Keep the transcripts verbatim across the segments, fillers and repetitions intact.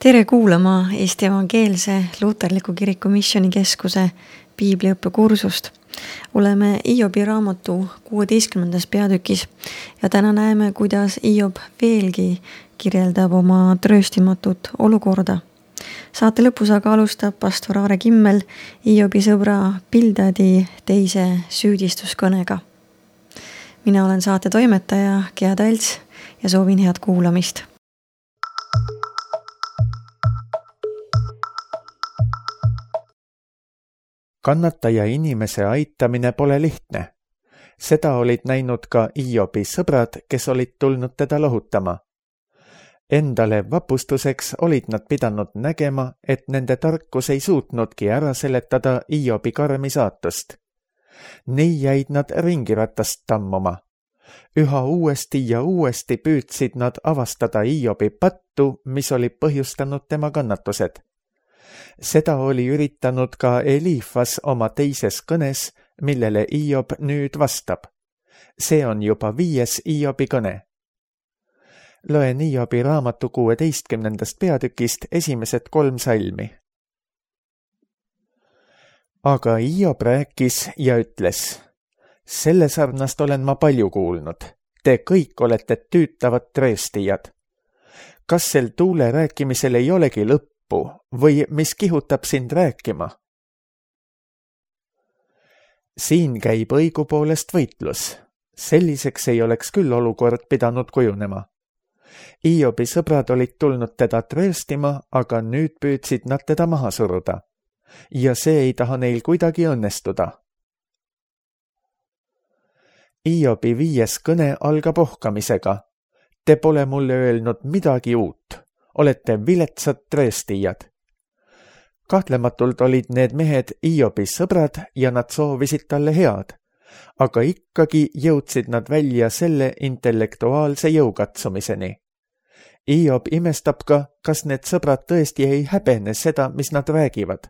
Tere kuulama Eesti Evangeelse Luterliku Kiriku Missioonikeskuse piibliõppekursust. Oleme Hiobi raamatu kuueteistkümnendas peatükis ja täna näeme, kuidas Hiob veelgi kirjeldab oma trööstimatut olukorda. Saate lõpus aga alustab pastor Aare Kimmel Hiobi sõbra Bildadi teise süüdistuskõnega. Mina olen saate toimetaja Gea Talts ja soovin head kuulamist. Kannataja inimese aitamine pole lihtne. Seda olid näinud ka Hiobi sõbrad, kes olid tulnud teda lohutama. Endale vapustuseks olid nad pidanud nägema, et nende tarkus ei suutnudki ära seletada Hiobi karmi saatust. Nii jäid nad ringiratast tammuma. Üha uuesti ja uuesti püüdsid nad avastada Hiobi pattu, mis oli põhjustanud tema kannatused. Seda oli üritanud ka Elifas oma teises kõnes, millele Hiob nüüd vastab. See on juba viies Hiobi kõne. Loen Hiobi raamatu kuueteistkümnendast peatükist esimesed kolm salmi. Aga Hiob rääkis ja ütles, selle sarnast olen ma palju kuulnud. Te kõik olete tüütavad trööstijad. Kas sel tuule rääkimisel ei olegi lõppu või mis kihutab sind rääkima? Siin käib õigupoolest võitlus. Selliseks ei oleks küll olukord pidanud kujunema. Hiobi sõbrad olid tulnud teda trööstima, aga nüüd püüdsid nad teda maha suruda. Ja see ei taha neil kuidagi õnnestuda. Hiobi viies kõne algab ohkamisega. Te pole mulle öelnud midagi uut. Olete viletsad trööstijad. Kahtlematult olid need mehed Hiobi sõbrad ja nad soovisid talle head, aga ikkagi jõudsid nad välja selle intellektuaalse jõukatsumiseni. Hiob imestab ka, kas need sõbrad tõesti ei häbene seda, mis nad räägivad.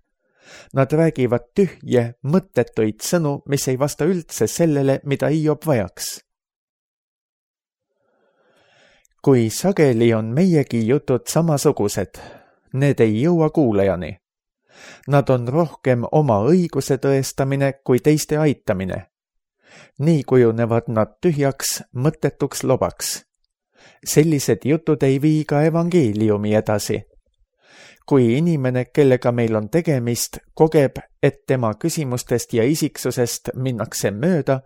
Nad räägivad tühje, mõttetuid sõnu, mis ei vasta üldse sellele, mida Hiob vajaks. Kui sageli on meiegi jutud samasugused, need ei jõua kuulajani. Nad on rohkem oma õiguse tõestamine kui teiste aitamine. Nii kujunevad nad tühjaks, mõttetuks lobaks. Sellised jutud ei vii ka evangeeliumi edasi. Kui inimene, kellega meil on tegemist, kogeb, et tema küsimustest ja isiksusest minnakse mööda,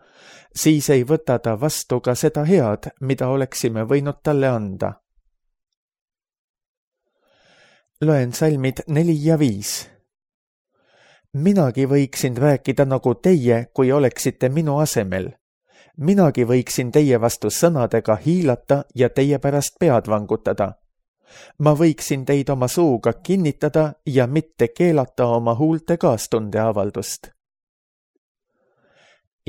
siis ei võta ta vastu ka seda head, mida oleksime võinud talle anda. Loen salmid neli ja viis. Minagi võiksin rääkida nagu teie, kui oleksite minu asemel. Minagi võiksin teie vastu sõnadega hiilata ja teie pärast pead vangutada. Ma võiksin teid oma suuga kinnitada ja mitte keelata oma huulte kaastunde avaldust.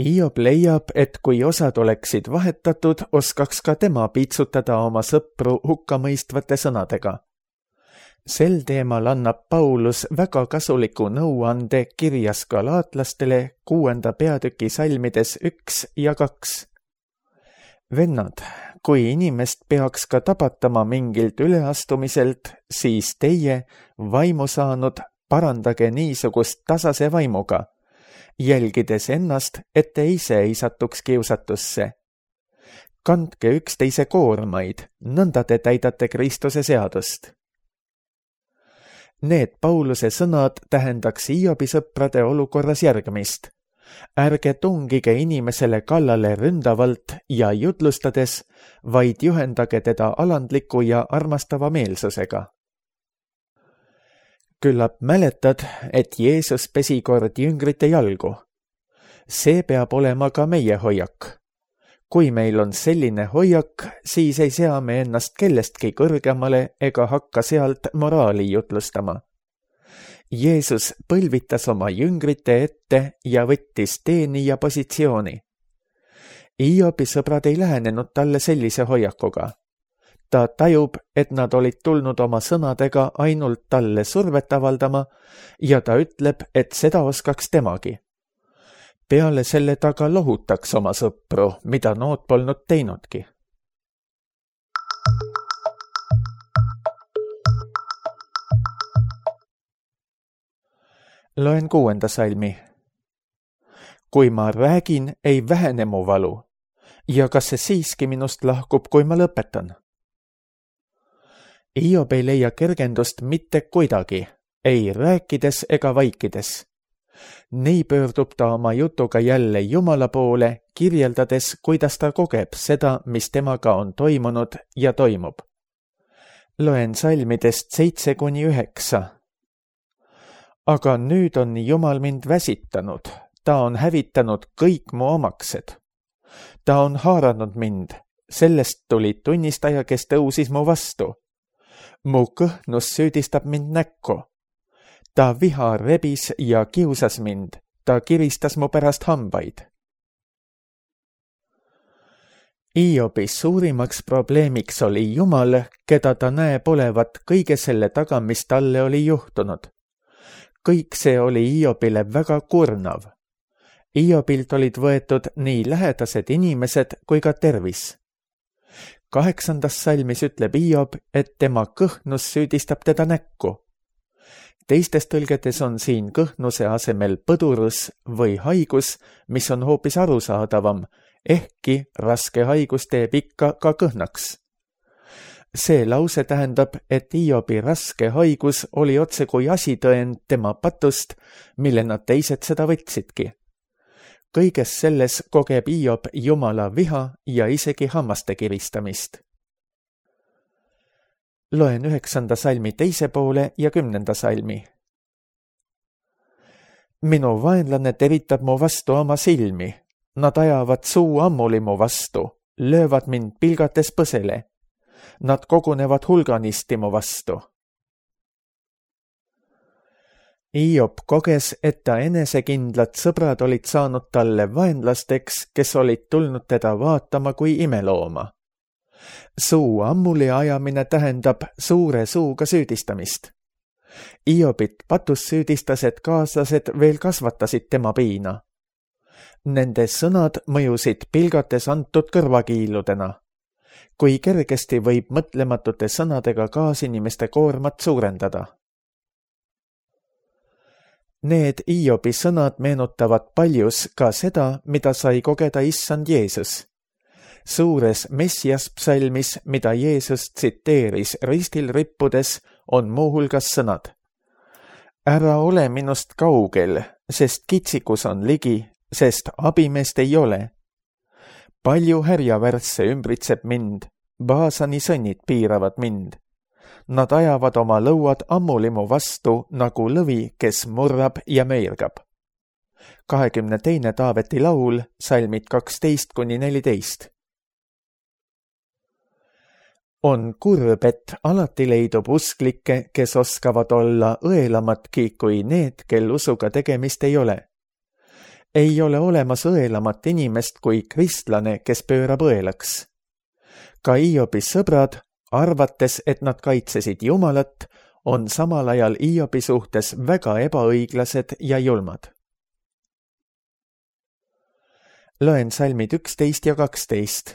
Hiob leiab, et kui osad oleksid vahetatud, oskaks ka tema piitsutada oma sõpru hukkamõistvate sõnadega. Sel teemal annab Paulus väga kasuliku nõuande kirjas galaatlastele kuuenda peatüki salmides üks ja kaks. Vennad, kui inimest peaks ka tabatama mingilt üleastumiselt, siis teie, vaimu saanud, parandage niisugust tasase vaimuga, jälgides ennast, et te ise ei satuks kiusatusse. Kandke üksteise koormaid, nõnda te täidate Kristuse seadust. Need Pauluse sõnad tähendaks Hiobi sõprade olukorras järgmist. Ärge tungige inimesele kallale ründavalt ja jutlustades, vaid juhendage teda alandliku ja armastava meelsusega. Küllap mäletad, et Jeesus pesi kord jüngrite jalgu. See peab olema ka meie hoiak. Kui meil on selline hoiak, siis ei sea me ennast kellestki kõrgemale ega hakka sealt moraali jutlustama. Jeesus põlvitas oma jüngrite ette ja võttis teenija positsiooni. Hiobi sõbrad ei lähenenud talle sellise hoiakuga. Ta tajub, et nad olid tulnud oma sõnadega ainult talle survet avaldama ja ta ütleb, et seda oskaks temagi. Peale selle taga lohutaks oma sõpru, mida nood polnud teinudki. Loen kuuenda salmi. Kui ma räägin, ei vähene mu valu ja kas see siiski minust lahkub, kui ma lõpetan? Hiob ei leia kergendust mitte kuidagi, ei rääkides ega vaikides. Nii pöördub ta oma jutuga jälle Jumala poole, kirjeldades, kuidas ta kogeb seda, mis temaga on toimunud ja toimub. Loen salmidest seitse kuni üheksa. Aga nüüd on Jumal mind väsitanud, ta on hävitanud kõik mu omaksed. Ta on haaranud mind, sellest tuli tunnistaja, kes tõusis mu vastu. Mu kõhnus süüdistab mind näkku. Ta viha rebis ja kiusas mind, ta kiristas mu pärast hambaid. Hiobi suurimaks probleemiks oli Jumal, keda ta näeb olevat kõige selle taga, mis talle oli juhtunud. Kõik see oli Hiobile väga kurnav. Hiobilt olid võetud nii lähedased inimesed kui ka tervis. Kaheksandas salmis ütleb Hiob, et tema kõhnus süüdistab teda näkku. Teistes tõlgetes on siin kõhnuse asemel põdurus või haigus, mis on hoopis arusaadavam, ehkki raske haigus teeb ikka ka kõhnaks. See lause tähendab, et Hiobi raske haigus oli otse kui asitõend tema patust, millena teised seda võtsidki. Kõiges selles kogeb Hiob Jumala viha ja isegi hammaste kiristamist. Loen üheksanda salmi teise poole ja kümnenda salmi. Minu vaenlane teritab mu vastu oma silmi. Nad ajavad suu ammuli mu vastu, löövad mind pilgates põsele. Nad kogunevad hulganisti mu vastu. Hiob koges, et ta enesekindlad sõbrad olid saanud talle vaenlasteks, kes olid tulnud teda vaatama kui imelooma. Suu ammuli ajamine tähendab suure suuga süüdistamist. Hiobit patus süüdistas, et kaaslased veel kasvatasid tema piina. Nende sõnad mõjusid pilgates antud kõrvakiiludena. Kui kergesti võib mõtlematute sõnadega kaasinimeste koormat suurendada. Need Hiobi sõnad meenutavad paljus ka seda, mida sai kogeda issand Jeesus. Suures Messias psalmis, mida Jeesus tsiteeris ristil rippudes, on muuhulgas sõnad. Ära ole minust kaugel, sest kitsikus on ligi, sest abimeest ei ole. Palju härjavärsse ümbritseb mind, Baasani sõnnid piiravad mind. Nad ajavad oma lõuad ammuli mu vastu nagu lõvi, kes murrab ja meirgab. kahekümne teine Taaveti laul, salmid kaksteist kuni neliteist. On kurb, et alati leidub usklikke, kes oskavad olla õelamatki kui need, kel usuga tegemist ei ole. Ei ole olemas õelamat inimest kui kristlane, kes pöörab õelaks. Ka Hiobi sõbrad, arvates, et nad kaitsesid Jumalat, on samal ajal Hiobi suhtes väga ebaõiglased ja julmad. Loen salmid üksteist ja kaksteist.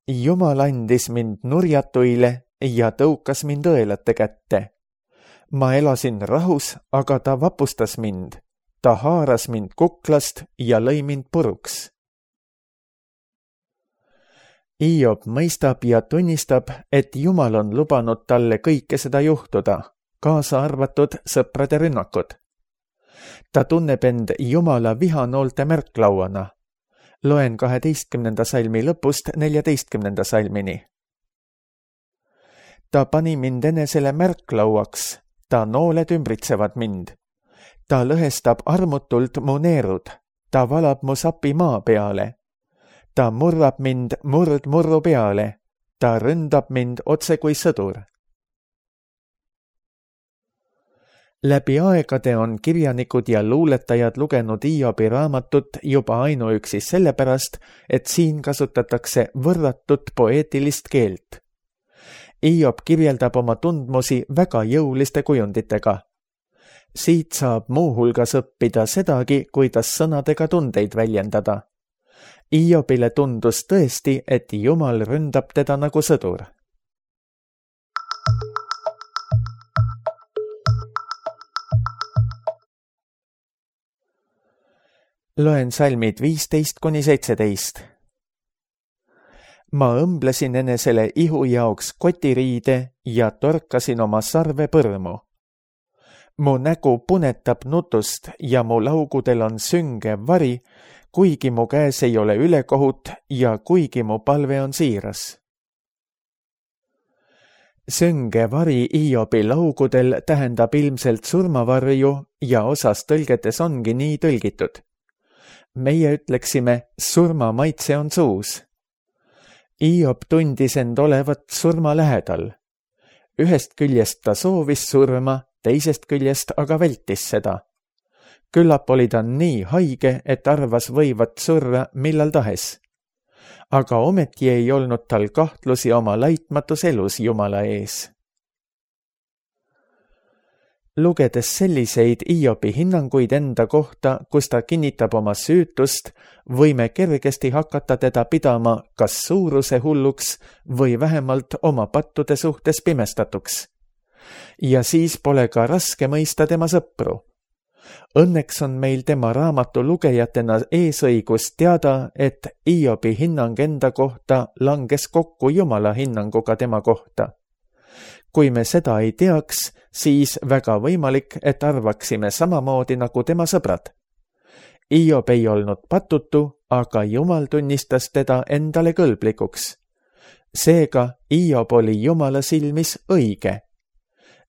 Jumal andis mind nurjatuile ja tõukas mind õelate kätte. Ma elasin rahus, aga ta vapustas mind. Ta haaras mind kuklast ja lõi mind puruks. Hiob mõistab ja tunnistab, et Jumal on lubanud talle kõike seda juhtuda, kaasa arvatud sõprade rünnakud. Ta tunneb end Jumala vihanoolte märklauana. Loen kaheteistkümnenda salmi lõpust neljateistkümnenda salmini. Ta pani mind enesele märklauaks, ta nooled ümbritsevad mind. Ta lõhestab armutult mu neerud, ta valab mu sapi maa peale. Ta murrab mind murd murru peale, ta ründab mind otse kui sõdur. Läbi aegade on kirjanikud ja luuletajad lugenud Hiobi raamatut juba ainuüksi sellepärast, et siin kasutatakse võrratut poeetilist keelt. Hiob kirjeldab oma tundmusi väga jõuliste kujunditega. Siit saab muuhulgas õppida sedagi, kuidas sõnadega tundeid väljendada. Hiobile tundus tõesti, et Jumal ründab teda nagu sõdur. Loen salmid viisteist kuni seitseteist. Ma õmblesin enesele ihu jaoks kotiriide ja torkasin oma sarve põrmu. Mu nägu punetab nutust ja mu laugudel on sünge vari, kuigi mu käes ei ole ülekohut ja kuigi mu palve on siiras. Sünge vari Hiobi laugudel tähendab ilmselt surmavarju ja osas tõlgetes ongi nii tõlgitud. Meie ütleksime, surma maitse on suus. Hiob tundis end olevat surma lähedal. Ühest küljest ta soovis surma, teisest küljest aga vältis seda. Küllap oli ta nii haige, et arvas võivat surra millal tahes. Aga ometi ei olnud tal kahtlusi oma laitmatus elus Jumala ees. Lugedes selliseid Hiobi hinnanguid enda kohta, kus ta kinnitab oma süütust, võime kergesti hakata teda pidama kas suuruse hulluks või vähemalt oma pattude suhtes pimestatuks. Ja siis pole ka raske mõista tema sõpru. Õnneks on meil tema raamatu lugejatena eesõigus teada, et Hiobi hinnang enda kohta langes kokku Jumala hinnanguga tema kohta. Kui me seda ei teaks, siis väga võimalik, et arvaksime samamoodi nagu tema sõbrad. Hiob ei olnud patutu, aga Jumal tunnistas teda endale kõlblikuks. Seega Hiob oli Jumala silmis õige.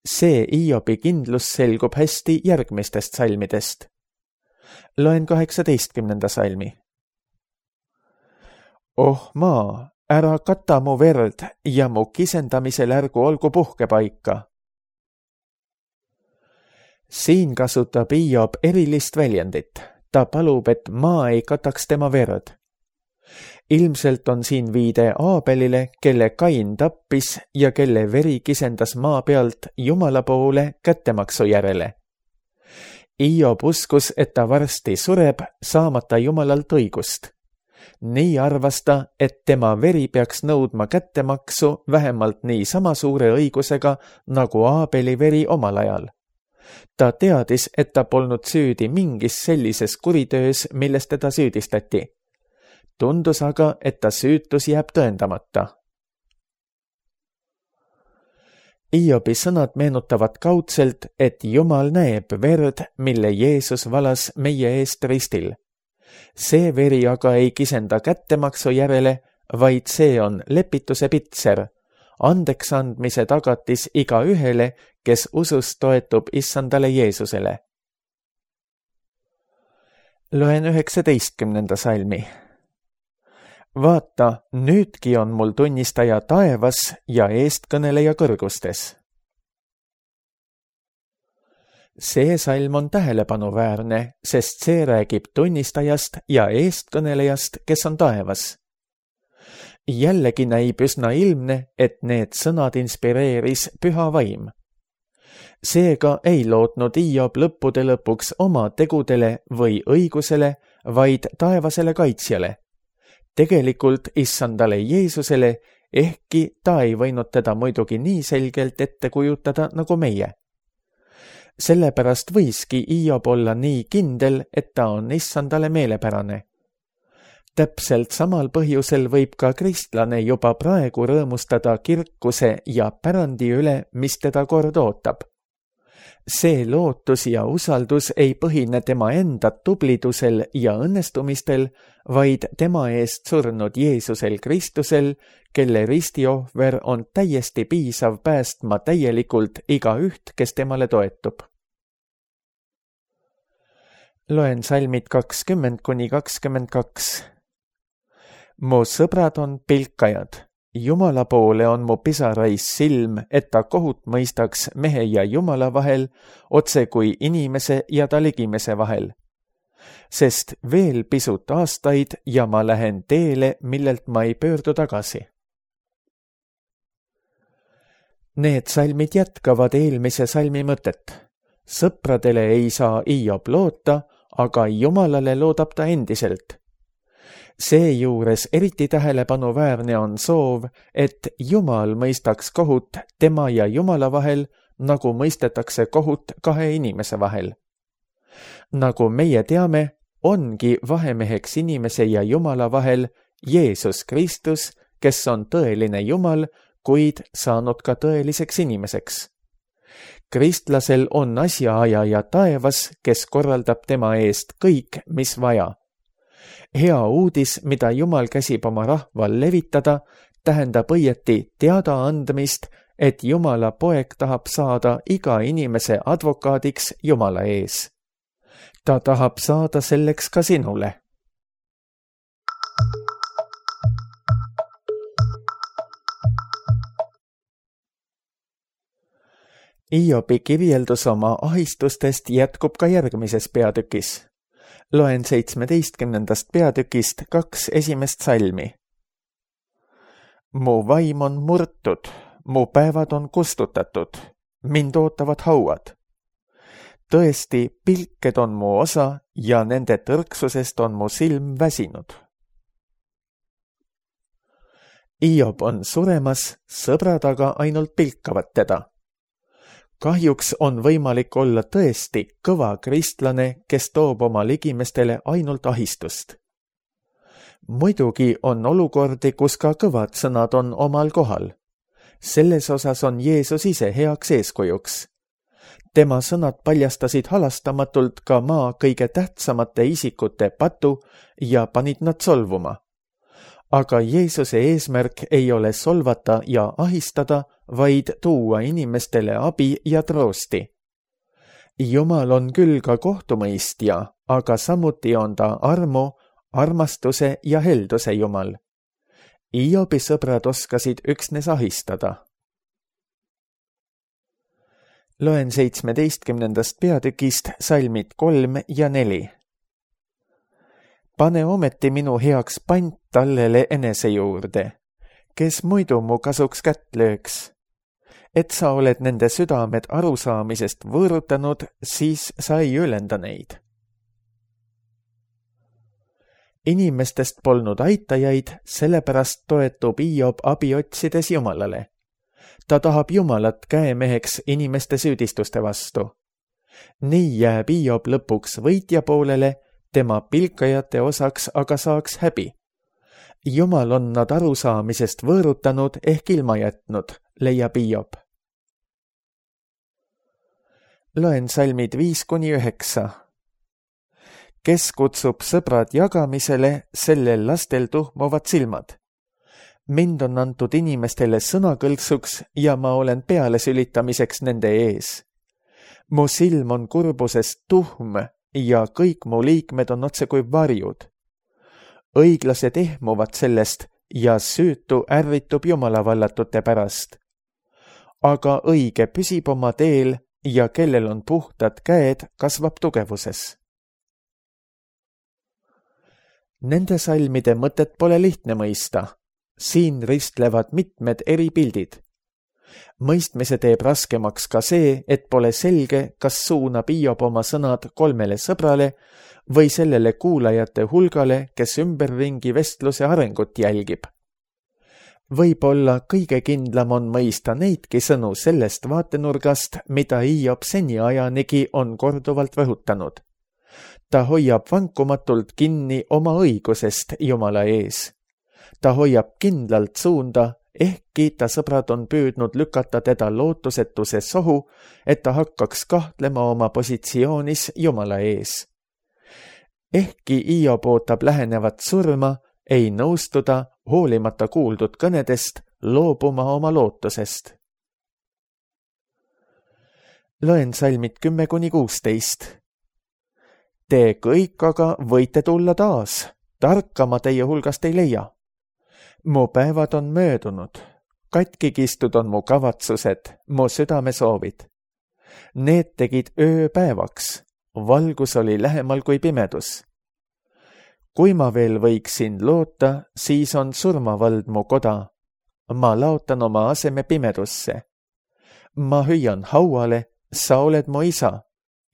See Hiobi kindlus selgub hästi järgmistest salmidest. Loen kaheksateistkümnenda salmi. Oh maa, ära kata mu verd ja mu kisendamisel ärgu olgu puhkepaika. Siin kasutab Hiob erilist väljendit. Ta palub, et maa ei kataks tema verd. Ilmselt on siin viide Aabelile, kelle Kain tappis ja kelle veri kisendas maa pealt Jumala poole kättemaksu järele. Hiob uskus, et ta varsti sureb, saamata Jumalalt õigust. Nii arvas ta, et tema veri peaks nõudma kättemaksu vähemalt nii sama suure õigusega nagu Aabeli veri omal ajal. Ta teadis, et ta polnud süüdi mingis sellises kuritöös, milles teda süüdistati. Tundus aga, et ta süütus jääb tõendamata. Hiobi sõnad meenutavad kaudselt, et Jumal näeb verd, mille Jeesus valas meie eest ristil. See veri aga ei kisenda kättemaksu järele, vaid see on lepituse pitser, andeks andmise tagatis iga ühele, kes usus toetub issandale Jeesusele. Loen üheksateistkümnenda salmi. Vaata, nüüdki on mul tunnistaja taevas ja eestkõneleja kõrgustes. See salm on tähelepanuväärne, sest see räägib tunnistajast ja eestkõnelejast, kes on taevas. Jällegi näib üsna ilmne, et need sõnad inspireeris püha vaim. Seega ei lootnud Hiob lõppude lõpuks oma tegudele või õigusele, vaid taevasele kaitsjale. Tegelikult issandale Jeesusele, ehkki ta ei võinud teda muidugi nii selgelt ette kujutada nagu meie. Sellepärast võiski Hiob olla nii kindel, et ta on issandale meelepärane. Täpselt samal põhjusel võib ka kristlane juba praegu rõõmustada kirkuse ja pärandi üle, mis teda kord ootab. See lootus ja usaldus ei põhine tema enda tublidusel ja õnnestumistel, vaid tema eest surnud Jeesusel Kristusel, kelle ristiohver on täiesti piisav päästma täielikult igaüht, kes temale toetub. Loen salmid kakskümmend kuni kakskümmend kaks. Mu sõbrad on pilkajad. Jumala poole on mu pisarais silm, et ta kohut mõistaks mehe ja Jumala vahel, otse kui inimese ja ta ligimese vahel. Sest veel pisut aastaid ja ma lähen teele, millelt ma ei pöördu tagasi. Need salmid jätkavad eelmise salmi mõtet. Sõpradele ei saa Hiob loota, aga Jumalale loodab ta endiselt. Seejuures eriti tähelepanuväärne on soov, et Jumal mõistaks kohut tema ja Jumala vahel, nagu mõistetakse kohut kahe inimese vahel. Nagu meie teame, ongi vahemeheks inimese ja Jumala vahel Jeesus Kristus, kes on tõeline Jumal, kuid saanud ka tõeliseks inimeseks. Kristlasel on asjaajaja taevas, kes korraldab tema eest kõik, mis vaja. Hea uudis, mida Jumal käsib oma rahval levitada, tähendab õieti teada andmist, et Jumala poeg tahab saada iga inimese advokaadiks Jumala ees. Ta tahab saada selleks ka sinule. Iobi kirjeldus oma ahistustest jätkub ka järgmises peatükis. Loen seitsmeteistkümnendast peatükist kaks esimest salmi. Mu vaim on murtud, mu päevad on kustutatud, mind ootavad hauad. Tõesti, pilked on mu osa ja nende tõrksusest on mu silm väsinud. Iob on suremas, sõbrad aga ainult pilkavad teda. Kahjuks on võimalik olla tõesti kõva kristlane, kes toob oma ligimestele ainult ahistust. Muidugi on olukordi, kus ka kõvad sõnad on omal kohal. Selles osas on Jeesus ise heaks eeskujuks. Tema sõnad paljastasid halastamatult ka maa kõige tähtsamate isikute patu ja panid nad solvuma. Aga Jeesuse eesmärk ei ole solvata ja ahistada, vaid tuua inimestele abi ja troosti. Jumal on küll ka kohtumõistja, aga samuti on ta armu, armastuse ja helduse Jumal. Iobi sõbrad oskasid üksnes ahistada. Loen seitsmeteistkümnendast peatükist salmid kolm ja neli. Pane ometi minu heaks pant tallele enese juurde, kes muidu mu kasuks kätt lööks. Et sa oled nende südamed arusaamisest võõrutanud, siis sa ei ülenda neid. Inimestest polnud aitajaid, sellepärast toetub Iob abi otsides Jumalale. Ta tahab Jumalat käemeheks inimeste süüdistuste vastu. Nii jääb Iob lõpuks võitja poolele, tema pilkajate osaks aga saaks häbi. Jumal on nad arusaamisest võõrutanud ehk ilma jätnud, leiab Iob. Loen salmid viis kuni üheksa. Kes kutsub sõbrad jagamisele, sellel lastel tuhmuvad silmad. Mind on antud inimestele sõnakõlksuks ja ma olen pealesülitamiseks nende ees. Mu silm on kurbusest tuhm ja kõik mu liikmed on otse kui varjud. Õiglased ehmuvad sellest ja süütu ärritub Jumala vallatute pärast. Aga õige püsib oma teel ja kellel on puhtad käed, kasvab tugevuses. Nende salmide mõtet pole lihtne mõista. Siin ristlevad mitmed eri pildid. Mõistmise teeb raskemaks ka see, et pole selge, kas suunab Iob oma sõnad kolmele sõbrale või sellele kuulajate hulgale, kes ümberringi vestluse arengut jälgib. Võib-olla kõige kindlam on mõista neidki sõnu sellest vaatenurgast, mida Iob seniajanigi on korduvalt rõhutanud. Ta hoiab vankumatult kinni oma õigusest Jumala ees. Ta hoiab kindlalt suunda, ehkki ta sõbrad on püüdnud lükata teda lootusetuse sohu, et ta hakkaks kahtlema oma positsioonis Jumala ees. Ehkki Iob ootab lähenevat surma, ei nõustuda, hoolimata kuuldud kõnedest, loobuma oma lootusest. Loen salmid kümme kuni kuusteist. Te kõik aga võite tulla taas, tarkama teie hulgast ei leia. Mu päevad on möödunud, katki kistud on mu kavatsused, mu südamesoovid. Need tegid öö päevaks, valgus oli lähemal kui pimedus. Kui ma veel võiksin loota, siis on surmavald mu koda. Ma laotan oma aseme pimedusse. Ma hüüan hauale, sa oled mu isa,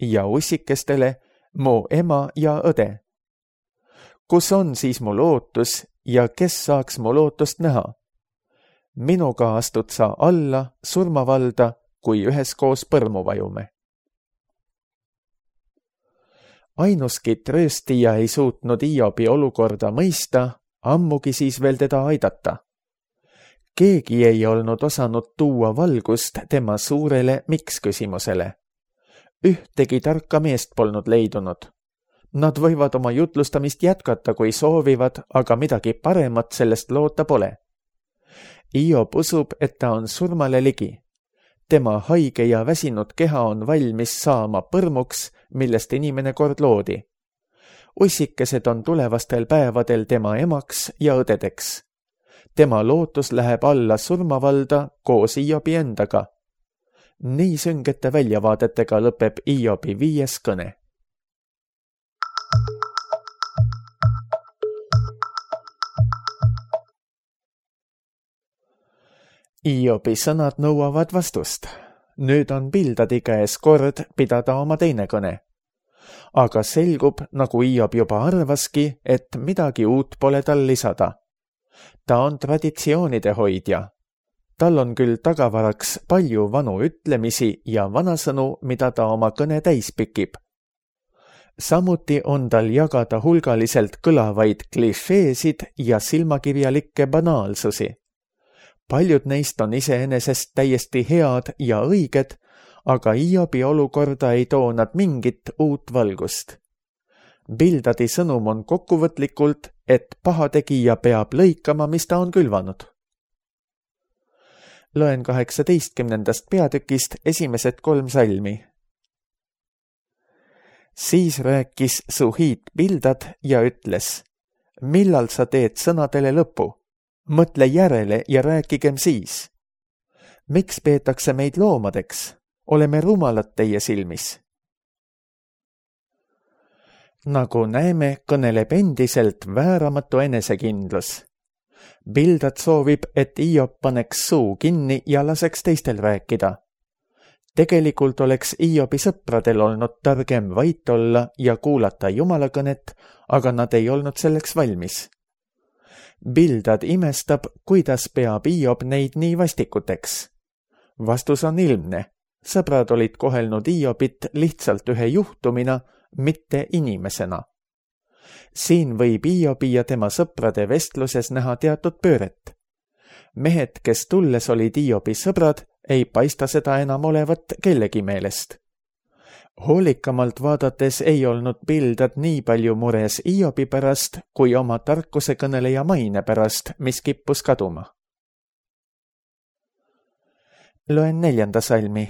ja ussikestele mu ema ja õde. Kus on siis mu lootus ja kes saaks mu lootust näha? Minuga astud sa alla surmavalda, kui üheskoos põrmu vajume. ainuski trööstija ei suutnud Hiobi olukorda mõista, ammugi siis veel teda aidata. Keegi ei olnud osanud tuua valgust tema suurele miks küsimusele. Ühtegi tarka meest polnud leidunud. Nad võivad oma jutlustamist jätkata, kui soovivad, aga midagi paremat sellest loota pole. Hiob usub, et ta on surmale ligi. Tema haige ja väsinud keha on valmis saama põrmuks, millest inimene kord loodi. Ussikesed on tulevastel päevadel tema emaks ja õdedeks. Tema lootus läheb alla surmavalda koos Hiobi endaga. Nii süngete väljavaadetega lõpeb Hiobi viies kõne. Hiobi sõnad nõuavad vastust. Nüüd on Bildadi käes kord pidada oma teine kõne. Aga selgub, nagu Hiob juba arvaski, et midagi uut pole tal lisada. Ta on traditsioonide hoidja. Tal on küll tagavaraks palju vanu ütlemisi ja vanasõnu, mida ta oma kõne täis pikib. Samuti on tal jagada hulgaliselt kõlavaid klišeesid ja silmakirjalikke banaalsusi. Paljud neist on iseenesest täiesti head ja õiged, aga Hiobi olukorda ei too nad mingit uut valgust. Bildadi sõnum on kokkuvõtlikult, et pahategija peab lõikama, mis ta on külvanud. Loen kaheksateistkümnendast peatükist esimesed kolm salmi. Siis rääkis Suhiit Bildad ja ütles, millal sa teed sõnadele lõpu? Mõtle järele ja rääkigem siis. Miks peetakse meid loomadeks? Oleme rumalad teie silmis. Nagu näeme, kõneleb endiselt vääramatu enesekindlus. Bildad soovib, et Hiob paneks suu kinni ja laseks teistel rääkida. Tegelikult oleks Hiobi sõpradel olnud targem vait olla ja kuulata Jumala kõnet, aga nad ei olnud selleks valmis. Bildad imestab, kuidas peab Hiob neid nii vastikuteks. Vastus on ilmne. Sõbrad olid kohelnud Hiobit lihtsalt ühe juhtumina, mitte inimesena. Siin võib Hiobi ja tema sõprade vestluses näha teatud pööret. Mehed, kes tulles olid Hiobi sõbrad, ei paista seda enam olevat kellegi meelest. Hoolikamalt vaadates ei olnud Bildad nii palju mures Hiobi pärast, kui oma tarkuse kõneleja maine pärast, mis kippus kaduma. Loen neljanda salmi.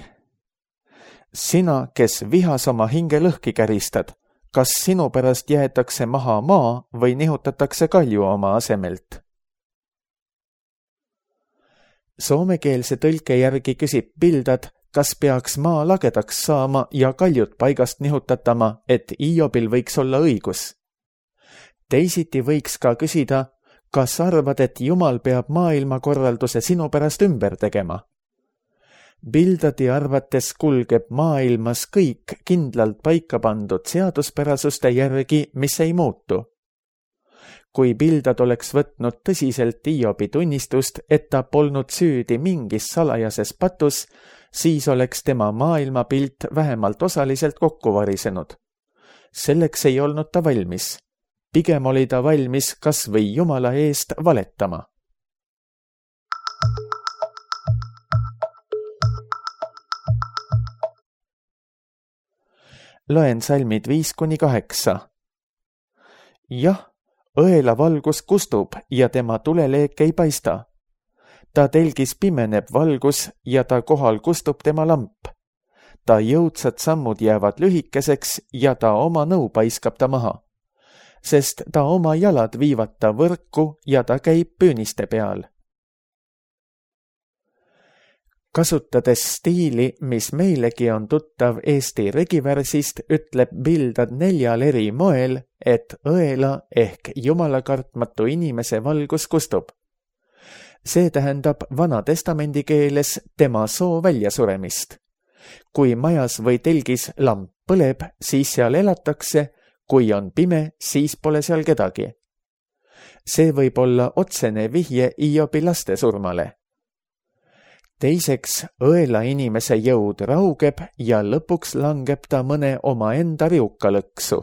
Sina, kes vihas oma hinge lõhki käristad, kas sinu pärast jäetakse maha maa või nihutatakse kalju oma asemelt? Soomekeelse tõlke järgi küsib Bildad, kas peaks maa lagedaks saama ja kaljud paigast nihutatama, et Hiobil võiks olla õigus. Teisiti võiks ka küsida, kas arvad, et Jumal peab maailmakorralduse sinu pärast ümber tegema? Bildadi arvates kulgeb maailmas kõik kindlalt paika pandud seaduspärasuste järgi, mis ei muutu. Kui Bildad oleks võtnud tõsiselt Hiobi tunnistust, et ta polnud süüdi mingis salajases patus, siis oleks tema maailmapilt vähemalt osaliselt kokku varisenud. Selleks ei olnud ta valmis. Pigem oli ta valmis kas või Jumala eest valetama. Loen salmid viis kuni kaheksa. Jah, õela valgus kustub ja tema tuleleek ei paista. Ta telgis pimeneb valgus ja ta kohal kustub tema lamp. Ta jõudsad sammud jäävad lühikeseks ja ta oma nõu paiskab ta maha, sest ta oma jalad viivad ta võrku ja ta käib püüniste peal. Kasutades stiili, mis meilegi on tuttav Eesti regivärsist, ütleb Bildad neljal eri moel, et õela ehk jumalakartmatu inimese valgus kustub. See tähendab Vana Testamendi keeles tema soo väljasuremist. Kui majas või telgis lamp põleb, siis seal elatakse, kui on pime, siis pole seal kedagi. See võib olla otsene vihje Hiobi laste surmale. Teiseks, õela inimese jõud raugeb ja lõpuks langeb ta mõne omaenda riuka lõksu.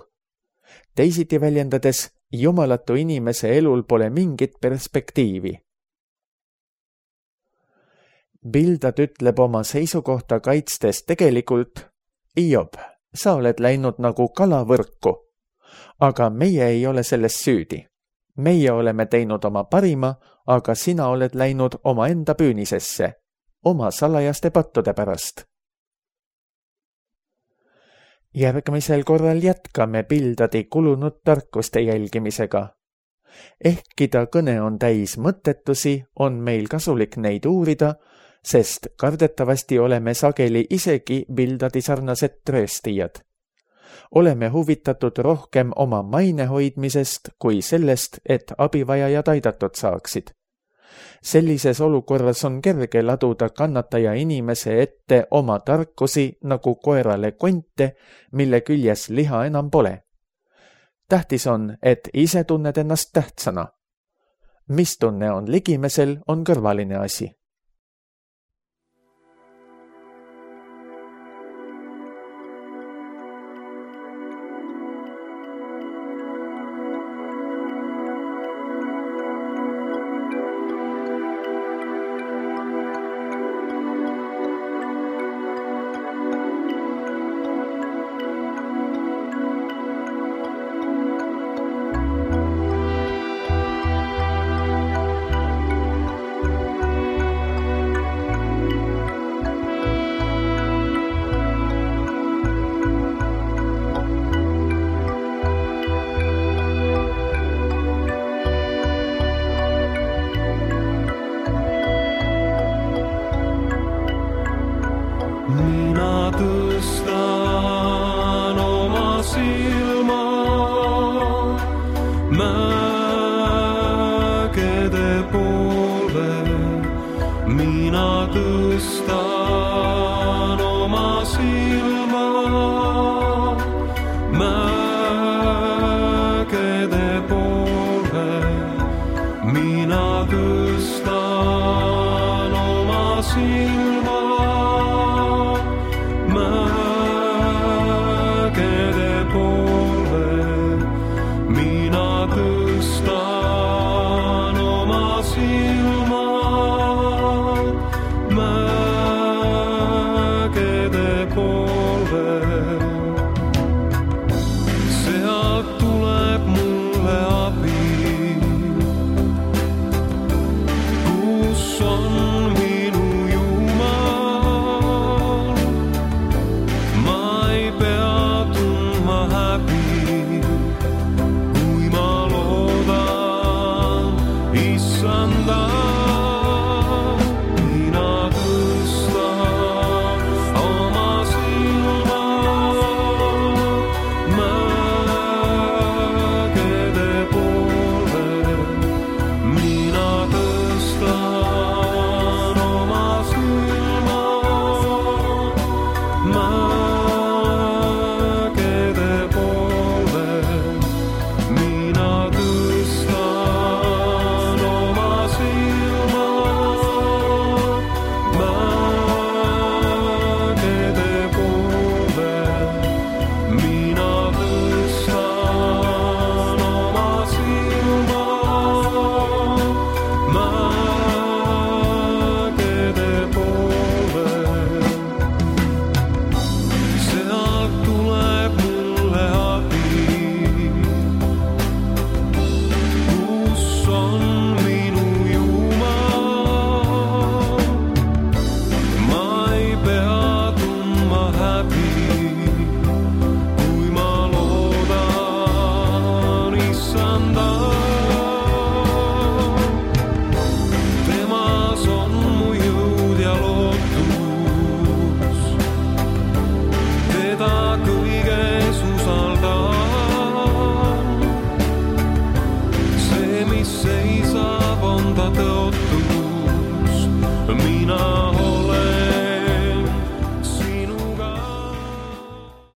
Teisiti väljendades, jumalatu inimese elul pole mingit perspektiivi. Bildad ütleb oma seisukohta kaitstes tegelikult, Hiob, sa oled läinud nagu kalavõrku, aga meie ei ole selles süüdi. Meie oleme teinud oma parima, aga sina oled läinud oma enda püünisesse, oma salajaste pattude pärast. Järgmisel korral jätkame Bildadi kulunud tarkuste jälgimisega. Ehkki ta kõne on täis mõttetusi, on meil kasulik neid uurida, sest kardetavasti oleme sageli isegi Bildadi sarnased trööstijad. Oleme huvitatud rohkem oma maine hoidmisest kui sellest, et abivajajad aidatud saaksid. Sellises olukorras on kerge laduda kannataja inimese ette oma tarkusi nagu koerale konte, mille küljes liha enam pole. Tähtis on, et ise tunned ennast tähtsana. Mis tunne on ligimesel, on kõrvaline asi. Mina tõstan oma silma, mä